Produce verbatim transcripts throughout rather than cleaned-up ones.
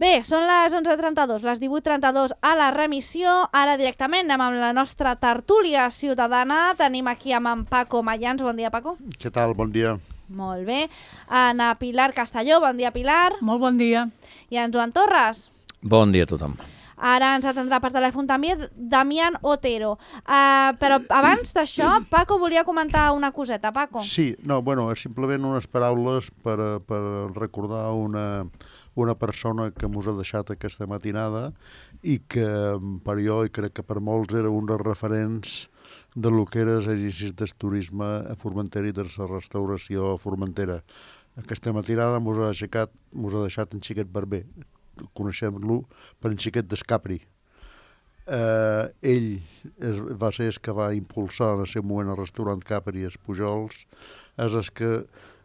Bé, són les onze trenta-dos, les divuit trenta-dos a la remissió. Ara directament anem amb la nostra tertúlia ciutadana. Tenim aquí amb en Paco Mayans. Bon dia, Paco. Què tal? Bon dia. Molt bé. En Pilar Castelló. Bon dia, Pilar. Molt bon dia. I en Joan Torres. Bon dia a tothom. Ara ens atendrà per telèfon també Damián Otero. Uh, però abans d'això, Paco volia comentar una coseta. Paco. Sí, no, bueno, simplement unes paraules per, per recordar una, una persona que mos ha deixat aquesta matinada i que per jo, i crec que per molts, era un dels referents de lo que era l'exercici del turisme a Formentera i de la restauració a Formentera. Aquesta matinada mos ha, aixecat, mos ha deixat en Xiquet Barber. Coneixem-lo per en Xiquet d'Escapri. Eh, ell es, va ser el que va impulsar en el seu moment el restaurant Capri i els Pujols, és el que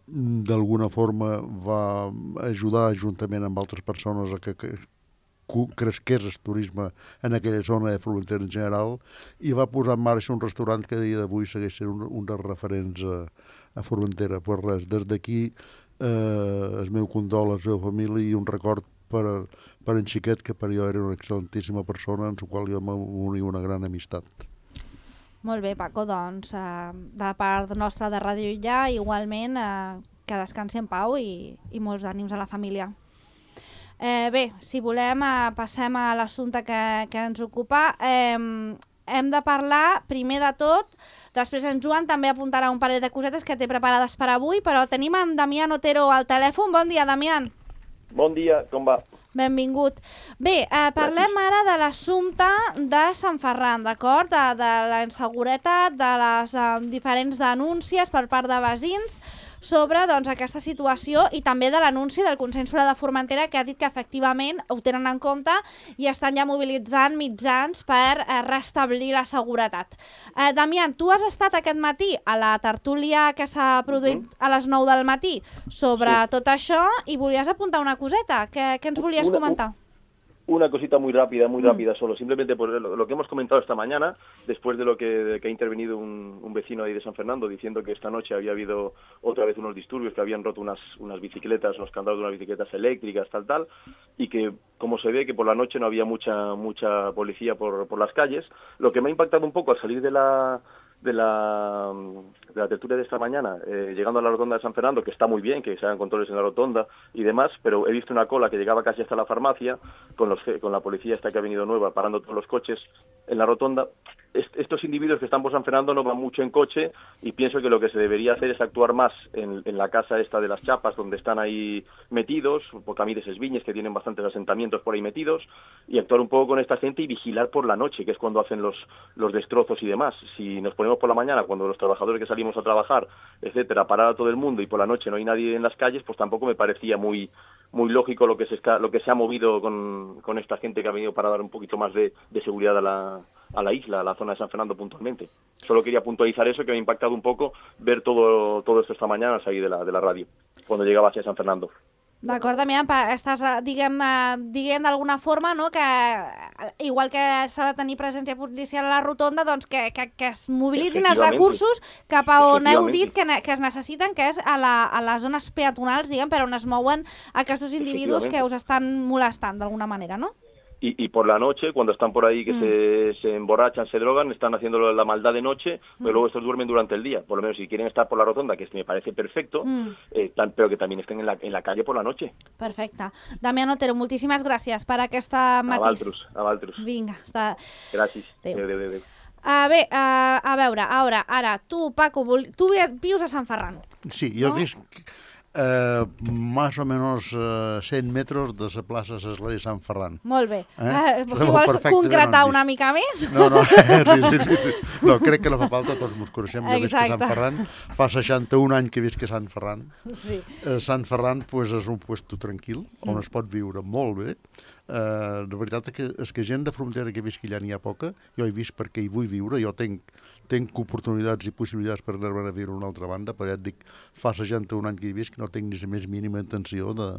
d'alguna forma va ajudar juntament amb altres persones a que, que cresqués el turisme en aquella zona de Formentera en general, i va posar en marxa un restaurant que a dia d'avui segueix sent un, un dels referents a, a Formentera. Pues res, des d'aquí eh, el meu condol a la seva família i un record per, per en Xiquet, que per jo era una excel·lentíssima persona, en la qual jo m'unia una gran amistat. Molt bé, Paco, doncs eh, de part nostra de Ràdio Illa, igualment eh, que descansi en pau i, i molts ànims a la família. Eh, bé, si volem eh, passem a l'assumpte que, que ens ocupa. Eh, hem de parlar primer de tot, després en Joan també apuntarà un parell de cosetes que té preparades per avui, però tenim en Damián Otero al telèfon. Bon dia, Damián. Bon dia, com va? Benvingut. Bé, eh, parlem ara de l'assumpte de Sant Ferran, d'acord? De, de la inseguretat, de les eh, diferents denúncies per part de veïns sobre doncs, aquesta situació, i també de l'anunci del Consell Escolar de Formentera, que ha dit que efectivament ho tenen en compte i estan ja mobilitzant mitjans per eh, restablir la seguretat. Eh, Damián, tu has estat aquest matí a la tertúlia que s'ha produït uh-huh. a les nou del matí sobre sí. tot això, i volies apuntar una coseta. Què, què ens volies una, comentar? Una cosita muy rápida, muy mm. rápida solo, simplemente por lo, lo que hemos comentado esta mañana, después de lo que, de que ha intervenido un, un vecino ahí de San Fernando diciendo que esta noche había habido otra vez unos disturbios, que habían roto unas, unas bicicletas, unos candados de unas bicicletas eléctricas, tal, tal, y que, como se ve, que por la noche no había mucha, mucha policía por, por las calles. Lo que me ha impactado un poco al salir de la... de la, de la tertulia de esta mañana, eh, llegando a la rotonda de San Fernando, que está muy bien, que se hagan controles en la rotonda y demás, pero he visto una cola que llegaba casi hasta la farmacia, con, los, con la policía esta que ha venido nueva, parando todos los coches en la rotonda. Est- estos individuos que están por San Fernando no van mucho en coche, y pienso que lo que se debería hacer es actuar más en, en la casa esta de las chapas, donde están ahí metidos, por Camí de Sesviñes, que tienen bastantes asentamientos por ahí metidos, y actuar un poco con esta gente y vigilar por la noche, que es cuando hacen los, los destrozos y demás. Si nos ponemos por la mañana, cuando los trabajadores que salimos a trabajar, etcétera, parar a todo el mundo, y por la noche no hay nadie en las calles, pues tampoco me parecía muy muy lógico lo que se está, lo que se ha movido con, con esta gente que ha venido para dar un poquito más de, de seguridad a la, a la isla, a la zona de San Fernando puntualmente. Solo quería puntualizar eso, que me ha impactado un poco ver todo, todo esto esta mañana al salir de la, de la radio, cuando llegaba hacia San Fernando. D'acord, Damián, estàs, diguem, diguem d'alguna forma, no?, que igual que s'ha de tenir presència policial a la rotonda, doncs que, que, que es mobilitzin els recursos cap a on heu dit que, que es necessiten, que és a, la, a les zones peatonals, diguem, per on es mouen aquests individus que us estan molestant d'alguna manera, no? Y, y por la noche, cuando están por ahí que mm. se, se emborrachan, se drogan, están haciendo la maldad de noche, pero mm. luego estos duermen durante el día. Por lo menos si quieren estar por la rotonda, que me parece perfecto, mm. eh, tan, pero que también estén en la, en la calle por la noche. Perfecte. Damián Otero, moltíssimes gràcies per aquesta matís. A Valtrus, a Valtrus. Vinga, està... Gràcies. Adéu, adéu, adéu. Uh, bé, uh, a veure, ara, ara, tu, Paco, vol... tu vius a Sant Ferran. Sí, jo no? visc... Eh, más o menos eh, cent metres de la plaça Sesler i Sant Ferran. Molt bé. Eh? Eh, si vols concretar una mica més? No, no, sí, sí, sí. No, crec que no fa falta, tots ens coneixem. Jo visc a Sant Ferran, fa seixanta-un anys que visc a Sant Ferran. Sí. Eh, Sant Ferran pues, és un puesto tranquil, on mm. es pot viure molt bé. Uh, la veritat és que, és que gent de frontera que visqui allà n'hi ha poca. Jo he vist perquè hi vull viure, jo tenc, tenc oportunitats i possibilitats per anar a viure a una altra banda, però ja et dic, fa seixanta-un anys que hi visc, no tinc ni la més mínima intenció de,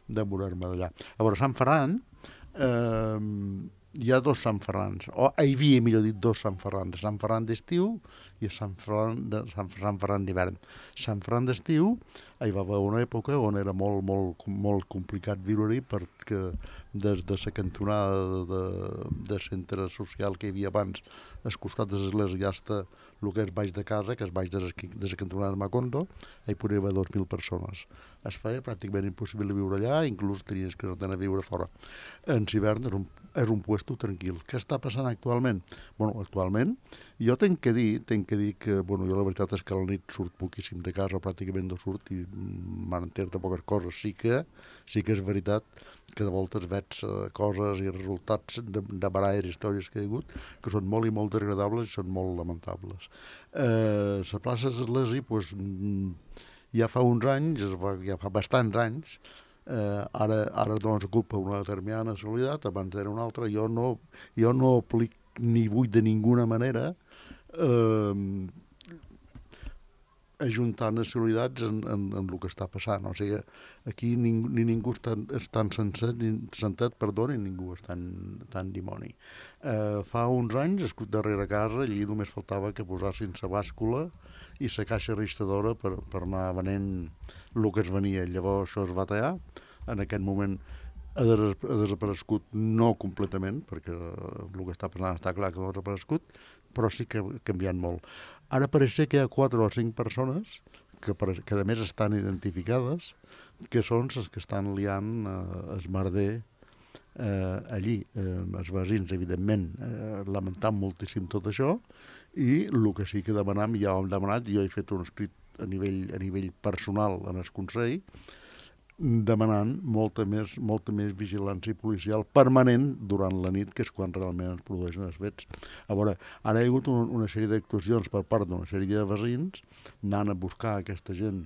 de morir-me d'allà. A veure, Sant Ferran, eh, hi ha dos Sant Ferrans, o hi havia, millor dit, dos Sant Ferrans, Sant Ferran d'estiu i Sant Ferran, de, Sant, Sant Ferran d'hivern. Sant Ferran d'estiu hi va haver una època on era molt, molt, molt complicat viure-hi per que des de la cantonada de, de centre social que hi havia abans, al costat de l'església ja està el que és baix de casa, que és baix de la cantonada de Macondo, hi podria haver dos mil persones. Es feia pràcticament impossible viure allà, inclús tenies que anar a viure fora. En hivern és un, és un puesto tranquil. Què està passant actualment? Bueno, actualment, jo tenc que dir, tenc que dir que, bueno, jo la veritat és que a la nit surt poquíssim de casa, o pràcticament no surt, i m'entero de poques coses. Sí que, sí que és veritat que de voltes veig uh, coses i resultats de, de baralles, històries que hi ha hagut, que són molt i molt degradables i són molt lamentables. Eh, la plaça d'Església, pues, ja fa uns anys, ja fa bastants anys, eh, ara, ara doncs ocupa una determinada nacionalitat, abans era una altra, jo no, jo no aplic ni vull de ninguna manera eh, ajuntar nacionalitats en, en, en el que està passant. O sigui, aquí ningú, ni ningú està, està senset, ni, sentet, perdó, ni ningú està tan, tan dimoni. Eh, fa uns anys, darrere casa, allí només faltava que posassin la bàscula i la caixa registradora per, per anar venent el que es venia. Llavors això es va tallar. En aquest moment ha desaparegut, no completament, perquè el que està passant està clar que no ha desaparegut, però sí que ha canviat molt. Ara pareix ser que hi ha quatre o cinc persones que, que a més estan identificades, que són les que estan liant eh, el merder eh, allí. Eh, els veïns, evidentment, eh, lamentant moltíssim tot això, i el que sí que demanam, ja ho hem demanat, jo he fet un escrit a nivell, a nivell personal en el Consell, demanant molta més, molta més vigilància policial permanent durant la nit, que és quan realment es produeixen els fets. A veure, ara hi ha hagut un, una sèrie d'actuacions per part d'una sèrie de veïns anant a buscar aquesta gent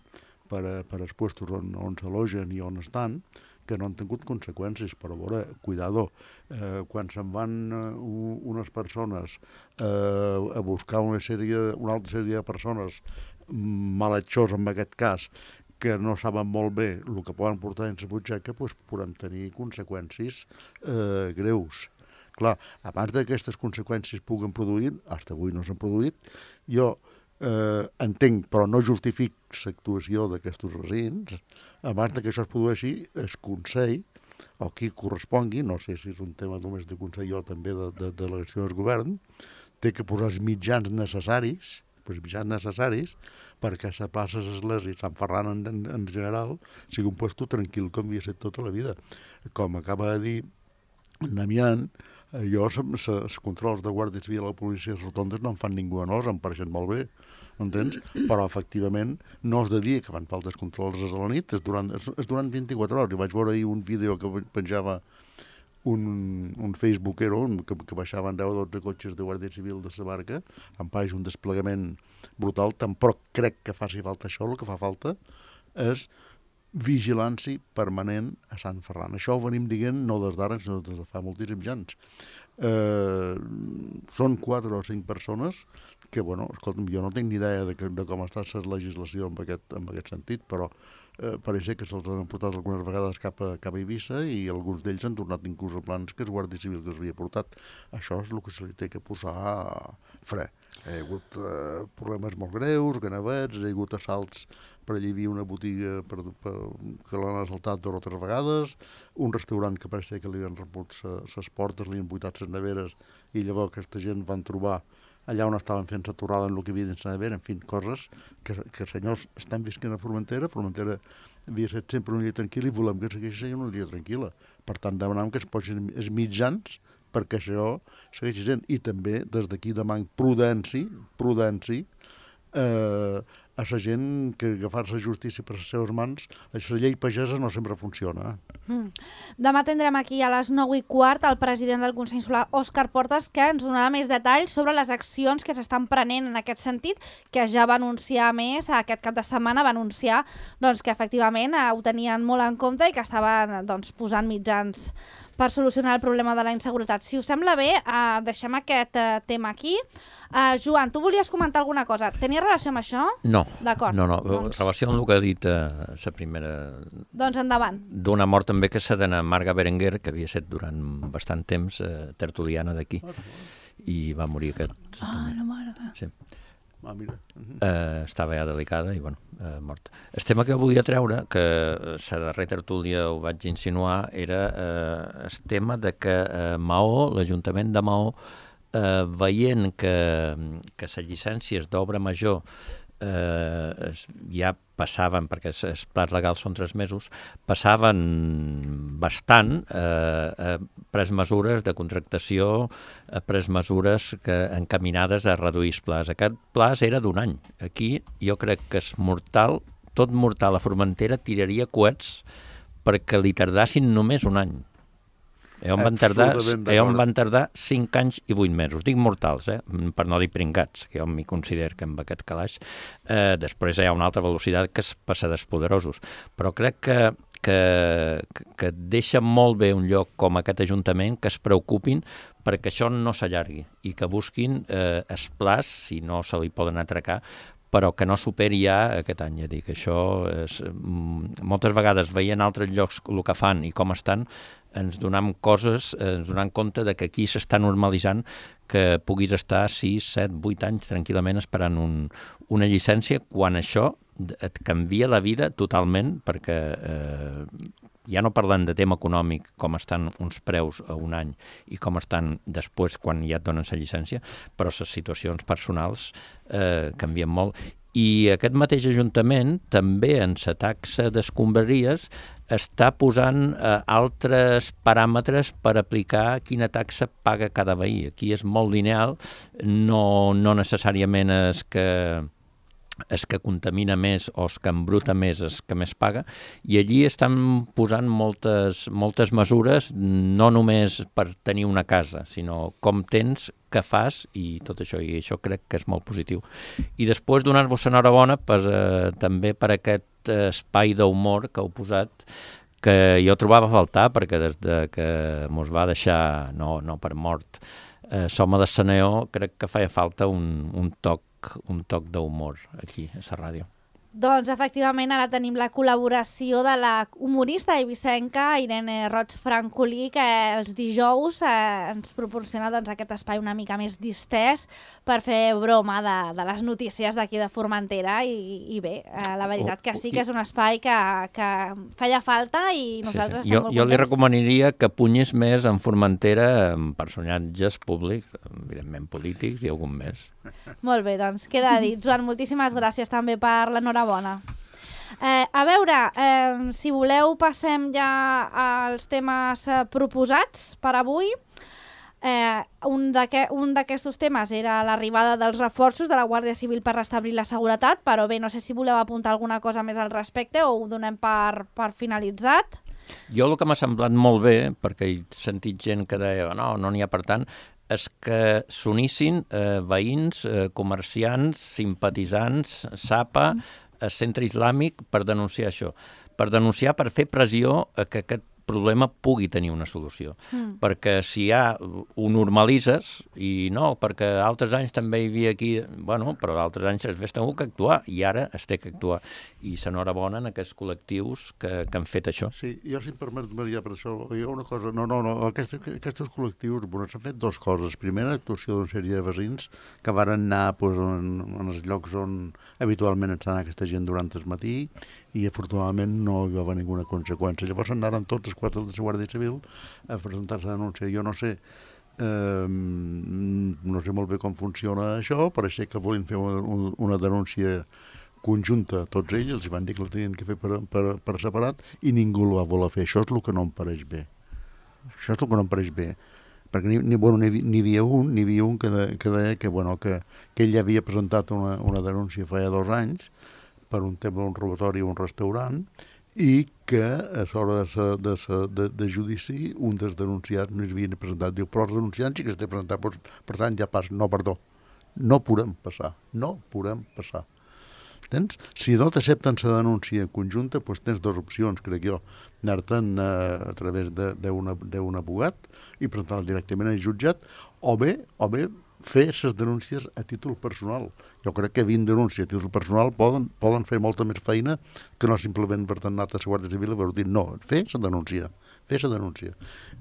per, a, per als puestos on, on s'alogen i on estan, que no han tingut conseqüències, però a veure, cuidado, eh, quan se'n van uh, unes persones eh, a buscar una, sèrie, una altra sèrie de persones malhechors en aquest cas, que no saben molt bé el que poden portar dins la butxaca, doncs podem tenir conseqüències eh, greus. Clar, abans d'aquestes conseqüències puguen produir, fins avui no s'han produït, jo eh, entenc, però no justific l'actuació d'aquests veïns, abans que això es produeixi, el Consell, o qui correspongui, no sé si és un tema només de Consell o també de, de, de delegació del govern, té que posar els mitjans necessaris, els mitjans necessaris perquè la plaça d'Església i Sant Ferran en, en, en general sigui un puesto tranquil com havia estat tota la vida. Com acaba de dir Namian, jo els controls de Guàrdia Civil a la policia de rotondes no em fan ningú a nos, em pareixen molt bé, entens? Però efectivament no és de dia que fan faltes controls a la nit, és durant, és, és durant vint-i-quatre hores. I vaig veure ahir un vídeo que penjava un, un facebookero que, que baixaven deu o dotze cotxes de Guàrdia Civil de la barca, em pareix un desplegament brutal, tampoc crec que faci falta això, el que fa falta és vigilància permanent a Sant Ferran. Això ho venim dient no des d'ara, sinó des de fa moltíssims anys. Eh, són quatre o cinc persones que, bueno, escolta'm, jo no tinc ni idea de, que, de com està la legislació en aquest, en aquest sentit, però eh, pareix que se'ls han portat algunes vegades cap a, cap a Eivissa i alguns d'ells han tornat inclús a plans que és Guàrdia Civil que els havia portat. Això és el que se li té que posar fre. Hi ha hagut eh, problemes molt greus, ganavets, hi ha hagut assalts per allà hi havia una botiga per, per, que l'han assaltat dues o tres vegades, un restaurant que pareix que li han rebut les portes, li han buidat les neveres i llavors aquesta gent van trobar allà on estaven fent la torrada en el que havia dins la nevera, en fi, coses que, que senyors estan visquent a Formentera. Formentera havia estat sempre una illa tranquil·la i volem que segueixi sent una illa tranquil·la. Per tant, demanem que es posin els mitjans perquè això segueixi sent. I també, des d'aquí demanem prudència, prudència, eh, a la gent que agafar-se la justícia per les seves mans, la llei pagesa no sempre funciona. Mm. Demà tindrem aquí a les nou i quart el president del Consell Insular, Òscar Portas, que ens donarà més detalls sobre les accions que s'estan prenent en aquest sentit, que ja va anunciar més, aquest cap de setmana va anunciar doncs, que efectivament eh, ho tenien molt en compte i que estaven doncs, posant mitjans per solucionar el problema de la inseguretat. Si us sembla bé, eh, deixem aquest eh, tema aquí. Uh, Joan, tu volies comentar alguna cosa? Tenia relació amb això? No, d'acord. No, no. Doncs... Relació amb el que ha dit uh, la primera... Doncs endavant. D'una mort també que s'ha d'anar Marga Berenguer, que havia estat durant bastant temps uh, tertuliana d'aquí, i va morir aquest... Ah, la Marga. Sí. Ah, mira. Eh, estava ja delicada i, bueno, eh, morta. El tema que volia treure, que la darrera tertúlia ho vaig insinuar, era eh, el tema de que eh, Maó, l'Ajuntament de Maó, eh, veient que, que les llicències d'obra major eh, ja passaven, perquè els plans legals són tres mesos, passaven bastant, eh, eh, pres mesures de contractació, eh, pres mesures que, encaminades a reduir els plans. Aquest pla era d'un any. Aquí jo crec que és mortal, tot mortal a Formentera tiraria coets perquè li tardassin només un any. Eh, on van tardar, eh, on van tardar cinc anys i vuit mesos. Dic mortals, eh? Per no dir pringats, que jo m'hi considero que amb aquest calaix. Eh, després hi ha una altra velocitat que es passa d'espoderosos. Però crec que, que, que deixa molt bé un lloc com aquest Ajuntament que es preocupin perquè això no s'allargui i que busquin eh, els plans, si no se li poden atracar, però que no superi ja aquest any. Ja dic, això és, moltes vegades veient altres llocs el que fan i com estan, ens donem coses, ens donem compte de que aquí s'està normalitzant que puguis estar sis, set, vuit anys tranquil·lament esperant un, una llicència quan això et canvia la vida totalment, perquè eh, ja no parlant de tema econòmic, com estan uns preus a un any i com estan després quan ja et donen la llicència, però les situacions personals eh, canvien molt. I aquest mateix Ajuntament també en la taxa d'escombraries està posant eh, altres paràmetres per aplicar quina taxa paga cada veí. Aquí és molt lineal, no, no necessàriament és que és que contamina més o és que embruta més és que més paga, i allí estan posant moltes, moltes mesures, no només per tenir una casa, sinó com tens, què fas i tot això, i això crec que és molt positiu. I després donar-vos enhorabona per, eh, també per aquest espai d'humor que heu posat, que jo trobava a faltar, perquè des de que mos va deixar, no, no per mort, eh, Soma de Saneó, crec que feia falta un, un toc un toc d'humor aquí, a la ràdio. Doncs, efectivament, ara tenim la col·laboració de la humorista eivissenca Irene Roig-Francolí, que els dijous eh, ens proporciona doncs, aquest espai una mica més distès per fer broma de, de les notícies d'aquí de Formentera i, i bé, eh, la veritat que sí que és un espai que, que feia falta i nosaltres sí, sí. estem jo, molt jo contents. li recomanaria que punyés més en Formentera amb personatges públics, evidentment polítics i algun més. Molt bé, doncs queda dit. Joan, moltíssimes gràcies també per l'enhorabona. Eh, a veure, eh, si voleu passem ja als temes eh, proposats per avui. Eh, un d'aquests temes era l'arribada dels reforços de la Guàrdia Civil per restablir la seguretat, però bé, no sé si voleu apuntar alguna cosa més al respecte o ho donem per, per finalitzat. Jo el que m'ha semblat molt bé, perquè he sentit gent que deia no, no n'hi ha per tant, és que s'unissin eh, veïns, eh, comerciants, simpatitzants, S A P A, el centre islàmic, per denunciar això. Per denunciar, per fer pressió a que aquest problema pugui tenir una solució. Mm. Perquè si ja ho normalitzes, i no, perquè altres anys també hi havia aquí, bueno, però altres anys es vés tenir que actuar, i ara es té que actuar. I s'enhorabona en aquests col·lectius que, que han fet això. Sí, jo si em permet, Maria, per això, hi ha una cosa, no, no, no, aquests, aquests col·lectius, bueno, s'han fet dues coses. Primera, actuació d'una sèrie de veïns que varen anar pues, en, en els llocs on habitualment està aquesta gent durant el matí, i afortunadament no hi va haver ninguna conseqüència. Llavors anaren tots els quatre de la Guàrdia Civil a presentar-se a denúncia. Jo no sé, eh, no sé molt bé com funciona això, pareix que volien fer una, una denúncia conjunta a tots ells, els van dir que la tenien que fer per, per, per separat i ningú el va voler fer. Això és el que no em pareix bé. Això és el que no em pareix bé. Perquè ni, ni, bueno, ni, ni hi havia un, ni hi havia un que, de, que deia que, bueno, que, que ell havia presentat una, una denúncia fa dos anys per un tema d'un robatori a un restaurant i que a l'hora de, de, de, de judici un dels denunciats no s'havia presentat. Diu, però els denunciants sí que s'ha presentat, doncs, per tant ja passa. No, perdó, no podem passar, no podem passar. Tens? Si no t'accepten la denúncia conjunta, doncs tens dues opcions, crec jo. Anar-te'n a, a través d'un abogat i presentar-la directament al jutjat, o bé, o bé fer les denúncies a títol personal. Jo crec que vint denúncies a títol personal poden, poden fer molta més feina que no simplement per tant anar a la Guàrdia Civil i haver dit no, fer la denúncia. fes la denúncia.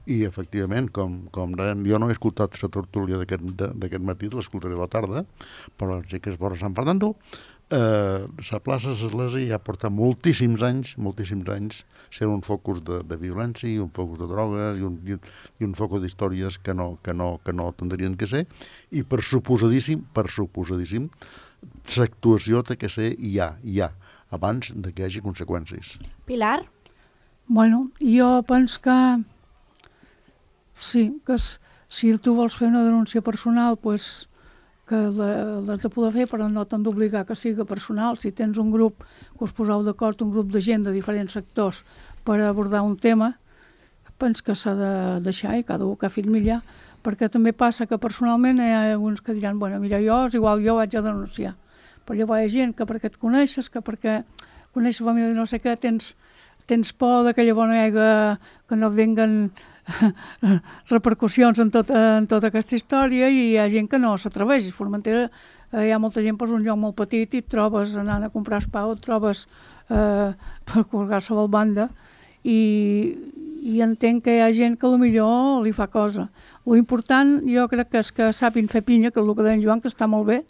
I, efectivament, com, com deien, jo no he escoltat la tertúlia d'aquest matí, l'escoltaré a la tarda, però sé que és vora Sant Fernando. Eh, la plaça Església ja porta moltíssims anys, moltíssims anys, sent un focus de, de violència i un focus de drogues i un, i un, i un focus d'històries que no, que, no, que no tindrien que ser, i per suposadíssim, per suposadíssim, l'actuació té que ser i hi ha, hi ha, abans de que hi hagi conseqüències. Pilar? Bueno, jo penso que sí, que si tu vols fer una denúncia personal, pues, que l'has de poder fer, però no t'han d'obligar que sigui personal. Si tens un grup que us poseu d'acord, un grup de gent de diferents sectors per abordar un tema, penso que s'ha de deixar i cada un que ha fet millor, perquè també passa que personalment hi ha alguns que diran, bueno, mira, jo és igual, jo vaig a denunciar. Però llavors hi ha gent que perquè et coneixes, que perquè coneixes la família de no sé què, tens, tens por de que llavors no hi hagi, que no venguen repercussions en, tot, en tota aquesta història, i hi ha gent que no s'atreveix. A Formentera eh, hi ha molta gent, pues, un lloc molt petit, i et trobes anant a comprar espau, et trobes eh, per qualsevol banda, i, i entenc que hi ha gent que potser li fa cosa. Lo important jo crec que és que sàpin fer pinya, que és el que deia Joan, que està molt bé,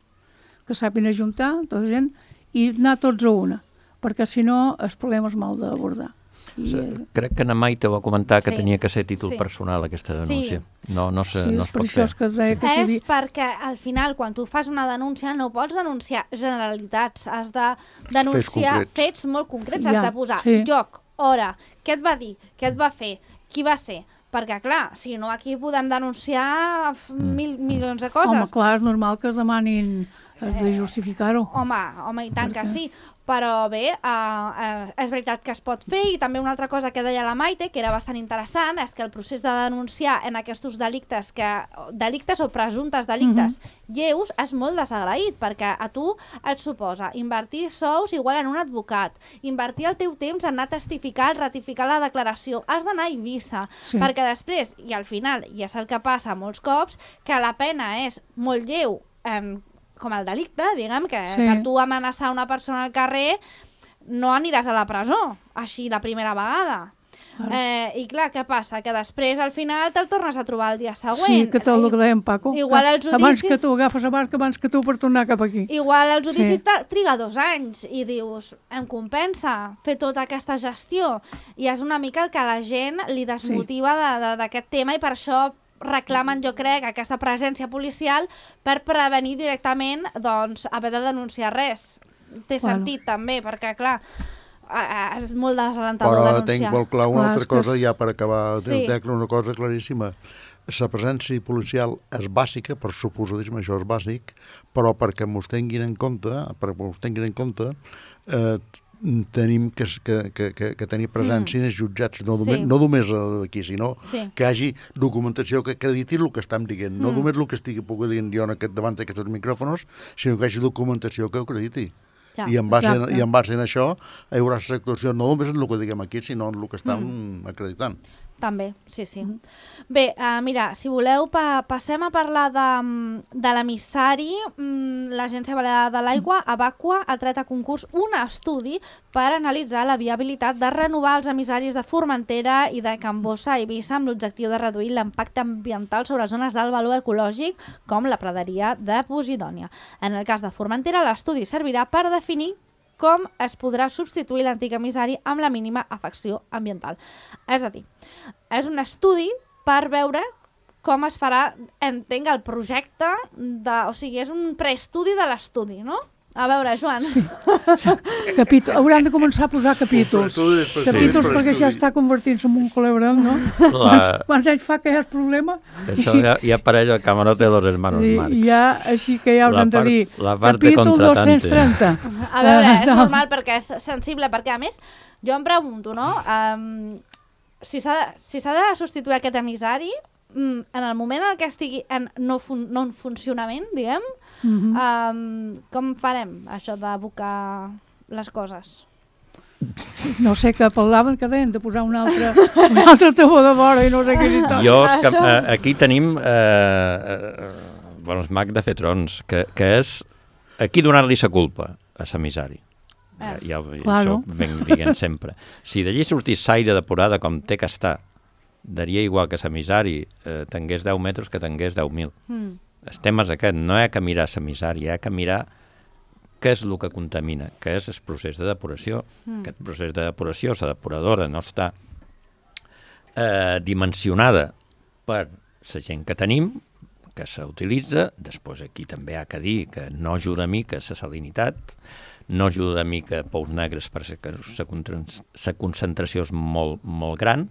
que sàpin ajuntar tota gent i anar tots a una, perquè si no el problema és mal d'abordar. I... Crec que na Maite va comentar que sí. tenia que ser títol sí. personal aquesta denúncia. Sí. No, no, se, sí, no es pot fer. Que deia que és si... perquè al final quan tu fas una denúncia no pots denunciar generalitats, has de denunciar fets, fets molt concrets, ja, has de posar sí. lloc, hora, què et va dir, què et va fer, qui va ser, perquè clar, si no aquí podem denunciar mil mm. milions de coses. Home, clar, és normal que es demanin, has de justificar-ho. Eh, home, home, i tant perquè... que sí. Però bé, uh, uh, és veritat que es pot fer, i també una altra cosa que deia la Maite, que era bastant interessant, és que el procés de denunciar en aquests delictes, que, delictes o presumptes delictes uh-huh. lleus, és molt desagraït, perquè a tu et suposa invertir sous igual en un advocat, invertir el teu temps en anar a testificar, ratificar la declaració, has d'anar a Eivissa, sí. perquè després, i al final, i és el que passa molts cops, que la pena és molt lleu, eh, com el delicte, diguem, que sí. per tu amenaçar una persona al carrer no aniràs a la presó, així la primera vegada. Ah. Eh, I clar, què passa? Que després, al final, te'l tornes a trobar el dia següent. Sí, que tot el que dèiem, Paco. Igual el judici... Abans que tu agafes a barca, abans que tu per tornar cap aquí. Igual el judici sí. triga dos anys i dius, em compensa fer tota aquesta gestió. I és una mica el que a la gent li desmotiva sí. d'aquest tema, i per això reclamen, jo crec, aquesta presència policial per prevenir directament, doncs, haver de denunciar res. Té bueno. sentit, també, perquè, clar, és molt desalentador Però denunciar. Però tenc molt clar una clar, altra cosa, és... ja per acabar, sí. tenc una cosa claríssima. La presència policial és bàsica, per suposadíssim, això és bàsic, però perquè m'ho tinguin en compte, perquè m'ho tinguin en compte, eh, tenim que, que, que, que tenir presència mm. jutjats, no només, sí. no només aquí, sinó sí. que hi hagi documentació que acrediti el que estem dient, mm. no només el que estigui pugui dir jo en aquest, davant d'aquests micròfons, sinó que hi hagi documentació que ho acrediti. Ja, I, en base, en, I en base en això hi haurà l'actuació no només en el que diguem aquí, sinó en el que estem mm. acreditant. També, sí, sí. Mm. Bé, uh, mira, si voleu, pa passem a parlar de, de l'emissari. Mm, L'Agència Balear de l'Aigua, Abaqua, ha tret a concurs un estudi per analitzar la viabilitat de renovar els emissaris de Formentera i de Can Bossa a Eivissa amb l'objectiu de reduir l'impacte ambiental sobre zones d'alt valor ecològic com la praderia de Posidònia. En el cas de Formentera, l'estudi servirà per definir com es podrà substituir l'antic emissari amb la mínima afecció ambiental. És a dir, és un estudi per veure com es farà, entenc, el projecte, de, o sigui, és un preestudi de l'estudi, no? A veure, Joan. Sí. Capítol. Hauran de començar a posar capítols. Capítols sí, perquè ja està convertint-se en un colebrel, no? La... Quants anys fa que hi ha el problema? Això ja, ja per ello, Camarote de los hermanos I, Marx. Ja, així que ja hauran de dir. La parte contratante. dos-cents trenta. A veure, és normal perquè és sensible, perquè a més, jo em pregunto, no? Um, si s'ha de, si s'ha de substituir aquest emissari, en el moment en què estigui en no, fun no en funcionament, diguem, uh-huh. um, com farem això d'abocar les coses? No sé, que parlaven que deien de posar un altre, un altre tabó de vora i no sé què dir tot. Jo, és que, eh, aquí tenim eh, eh, bueno, el mag de fer trons, que, que és aquí donar-li sa culpa a l'emissari. Ja, ja, claro. Això venc dient sempre. Si d'allí sortís l'aire depurada com té que estar, daria igual que l'emissari eh, tingués deu metres que tingués deu mil. Mm. El tema és aquest, no hi ha que mirar l'emissari, hi ha que mirar què és el que contamina, què és el procés de depuració. Mm. Aquest procés de depuració, la depuradora no està eh, dimensionada per la gent que tenim, que s'utilitza. Després aquí també hi ha que dir que no ajuda a mica la salinitat, no ajuda a mica pous negres perquè la concentració és molt, molt gran,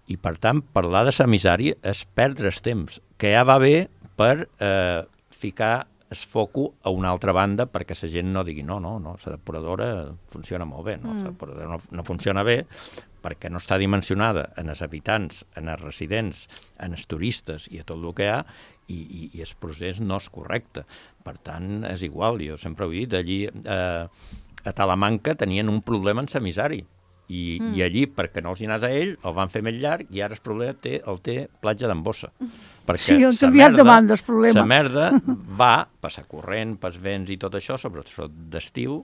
i per tant parlar de l'emissari és perdre el temps, que ja va bé per eh, ficar el foco a una altra banda perquè la gent no digui no, no, no, la depuradora funciona molt bé, no, mm. la depuradora no, no funciona bé perquè no està dimensionada en els habitants, en els residents, en els turistes i a tot el que hi ha, i, i, i el procés no és correcte. Per tant, és igual, jo sempre ho he dit, allí eh, a Talamanca tenien un problema en l'emissari, i, mm. i allí, perquè no els hi anés a ell, el van fer més llarg, i ara el problema té, el té Platja d'en Bossa. Perquè sí, han canviat de banda el problema. La merda va passar corrent, pels vents i tot això, sobretot d'estiu,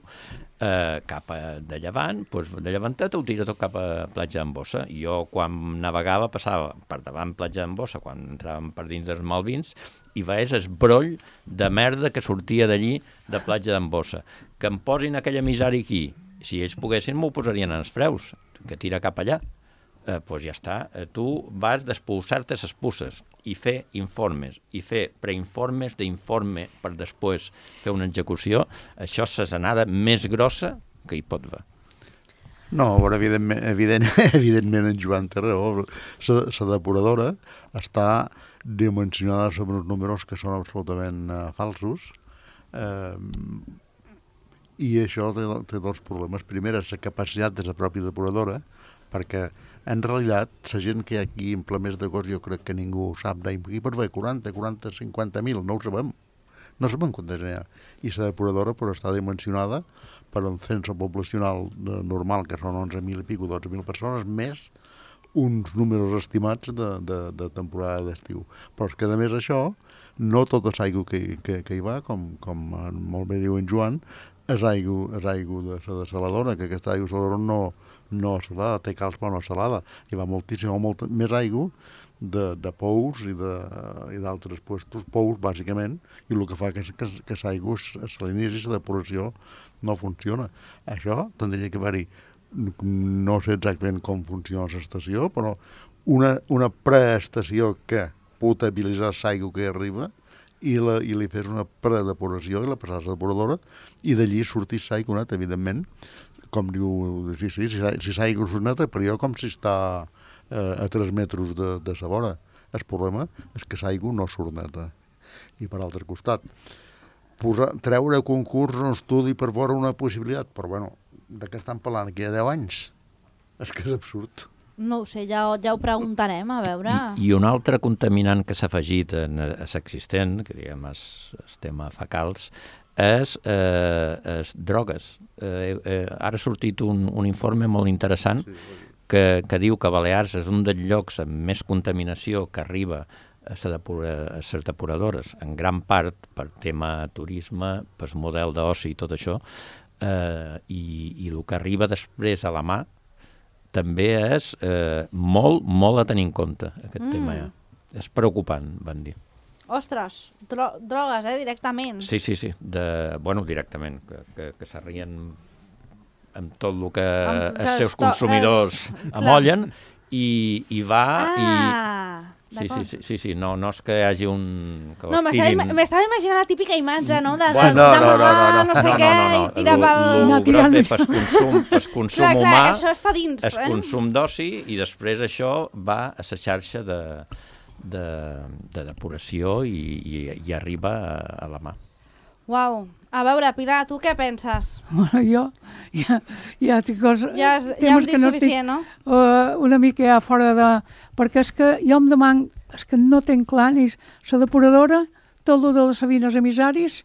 eh, cap a de llevant, doncs de llevantet ho tira tot cap a Platja d'en Bossa. I jo, quan navegava, passava per davant Platja d'en Bossa, quan entràvem per dins dels Malvins, i veies el broll de merda que sortia d'allí, de Platja d'en Bossa. Que em posin aquell emissari aquí, si ells poguessin m'ho posarien en els freus, que tira cap allà. Eh, doncs ja està, eh, tu vas despulsar-te les pusses i fer informes, i fer preinformes d'informe per després fer una execució. Això és l'anada més grossa que hi pot haver. No, però evidentment, evident, evidentment en Joan té raó. La depuradora està dimensionada sobre uns números que són absolutament uh, falsos, eh, i això té, té dos problemes. Primer és la capacitat de la pròpia depuradora, perquè en realitat la gent que hi ha aquí implements de gos jo crec que ningú sap d'aquí per fer quaranta, quaranta, cinquanta mil, no ho sabem. No sabem quantes n'hi ha. I la depuradora però està dimensionada per un cens poblacional normal, que són onze mil i pico, dotze mil persones, més uns números estimats de, de, de temporada d'estiu. Però és que, a més, això, no tota l'aigua que, que, que hi va, com, com molt bé diu en Joan, és aigua, és aigua de la desaladora, que aquesta aigua saladora no, no és salada, té calç però no és salada. Hi va moltíssima, molta més aigua de, de pous i d'altres puestos, pous, bàsicament, i el que fa que, que, que l'aigua es salinitzi i la depuració no funciona. Això tindria que haver-hi, no sé exactament com funciona l'estació, però una, una preestació que potabilitzar l'aigua que arriba i, la, i li fes una predepuració i la passar a la depuradora i d'allí sortís l'aigua neta, evidentment, com diu, sí, sí, si, si l'aigua és neta, però jo com si està eh, a tres metres de, de sa vora. El problema és que l'aigua no surt neta. I per altre costat, posar, treure a concurs un estudi per veure una possibilitat, però bueno, de què estan parlant aquí a deu anys? És que és absurd. No ho sé, ja, ja ho preguntarem, a veure... I, i un altre contaminant que s'ha afegit a l'existent, que diguem és el tema fecals, és, eh, és drogues. Eh, eh, ara ha sortit un, un informe molt interessant que, que diu que Balears és un dels llocs amb més contaminació que arriba a les depuradores, en gran part per tema turisme, per model d'oci i tot això, eh, i, i el que arriba després a la mà també és eh, molt, molt a tenir en compte, aquest mm. tema ja. És preocupant, van dir. Ostres, dro drogues, eh, directament. Sí, sí, sí, de, bueno, directament, que, que, que s'arrien amb tot el que amb els seus consumidors els... amollen i, i va ah. i... Sí, sí, sí, sí, sí, no, no és que hi hagi un... Que no, tirin... m'estava imaginant la típica imatge, no? De, bueno, de, no, no, no, no, no sé no, què, no, no, no. i tira pel... No, gros bé pel consum, pel consum clar, humà, clar, això està dins, el eh? consum d'oci, i després això va a la xarxa de, de, de depuració i, i, i arriba a, a la mà. Uau. A veure, Pilar, tu què penses? Bueno, jo ja, ja tinc coses... Ja, ja hem dit no suficient, no? Uh, una mica ja fora de... Perquè és que jo em demano, és que no tenc clar ni la depuradora, tot el de les sabines emissaris,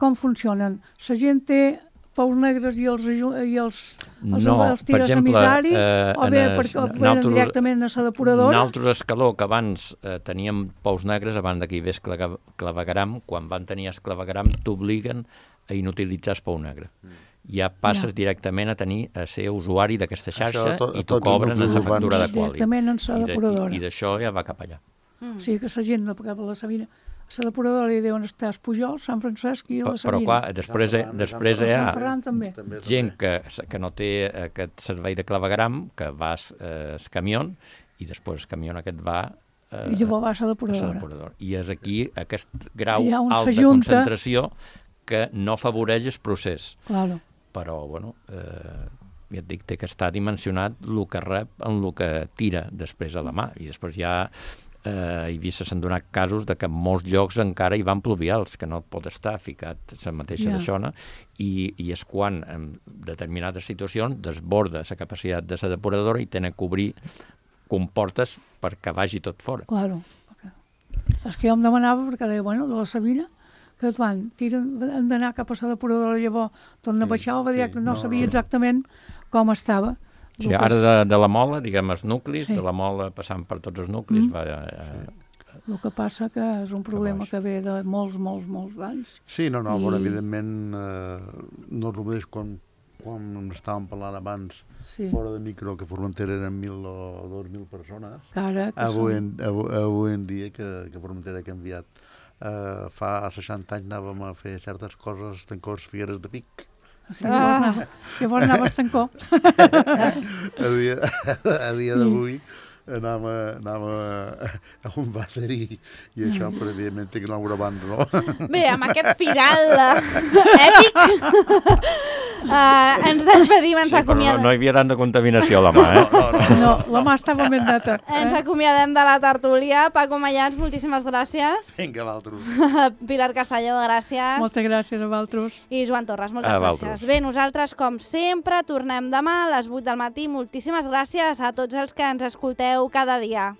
com funcionen. La gent té pous negres i els, i els, els, no, els tires per exemple, emissari, eh, o bé perquè venen directament a la depuradora? Nosaltres, Escaló, que abans eh, teníem pous negres, abans que hi hagués clavegaram, quan van tenir el clavegaram t'obliguen a inutilitzar el pou negre. Mm. ja passes Ja. directament a tenir a ser usuari d'aquesta xarxa Això, to- i t'ho tots els cobren en nuclis la factura de urbans. quali. Directament en la I de- depuradora. I, i d'això ja va cap allà. Mm. O sigui que la gent de cap a la Sabina, a la depuradora hi deuen estar a Pujol, Sant Francesc i a Però, la però Sabina. clar, després, Sant Ferran, després Sant hi Sant ha Ferran també. També, gent també. que, que no té aquest servei de clavegram, que vas eh, el camió, i després el camió aquest va eh, I llavors va a la a la depuradora. depuradora. I és aquí aquest grau Allà on alt de s'ajunta. concentració que no afavoreix el procés. Claro. Però, bueno, eh, ja et dic, té que estar dimensionat el que rep en el que tira després a la mà. I després ja eh, he vist, s'han donat casos de que en molts llocs encara hi van pluvials, que no pot estar ficat la mateixa Ja. d'aixona, i, i és quan en determinades situacions desborda la capacitat de la depuradora i tenen que obrir comportes perquè vagi tot fora. Claro. És que jo em demanava, perquè deia, bueno, de la Sabina, que et van, tiren, han d'anar cap a la depuradora, llavors torna a baixar, o directe, sí, no no, sabia no. exactament com estava. Sí, El que ara és- de, de la mola, diguem, els nuclis, Sí. de la mola passant per tots els nuclis, Mm. va, eh, El que passa que és un problema baix. que ve de molts, molts, molts anys. Sí, no, no, I- bueno, evidentment eh, no és el mateix quan, quan estàvem parlant abans Sí. fora de micro que Formentera eren mil o dos mil persones. Que ara que Avui són... en, avui, avui en dia que, que Formentera ha canviat. Uh, fa seixanta anys anàvem a fer certes coses, tancors, figueres de pic. Sí, llavors, anava, llavors anava a estancó. A dia, a dia d'avui anàvem, a, anàvem a, a un bàser i, i això, però evidentment té que anar abans, no? Bé, amb aquest final eh, èpic uh, ens despedim, ens sí, però no, acomiadem. no hi havia tanta contaminació a la mà, eh? No, no, No, la mà estava ben neta. Ens Eh? acomiadem de la tertúlia. Paco Mayans, moltíssimes gràcies. Vinga, l'altre. Pilar Castelló, gràcies. Moltes gràcies a vosaltres. I Joan Torres, moltes A gràcies. vosaltres. Bé, nosaltres, com sempre, tornem demà a les vuit del matí. Moltíssimes gràcies a tots els que ens escolteu cada dia.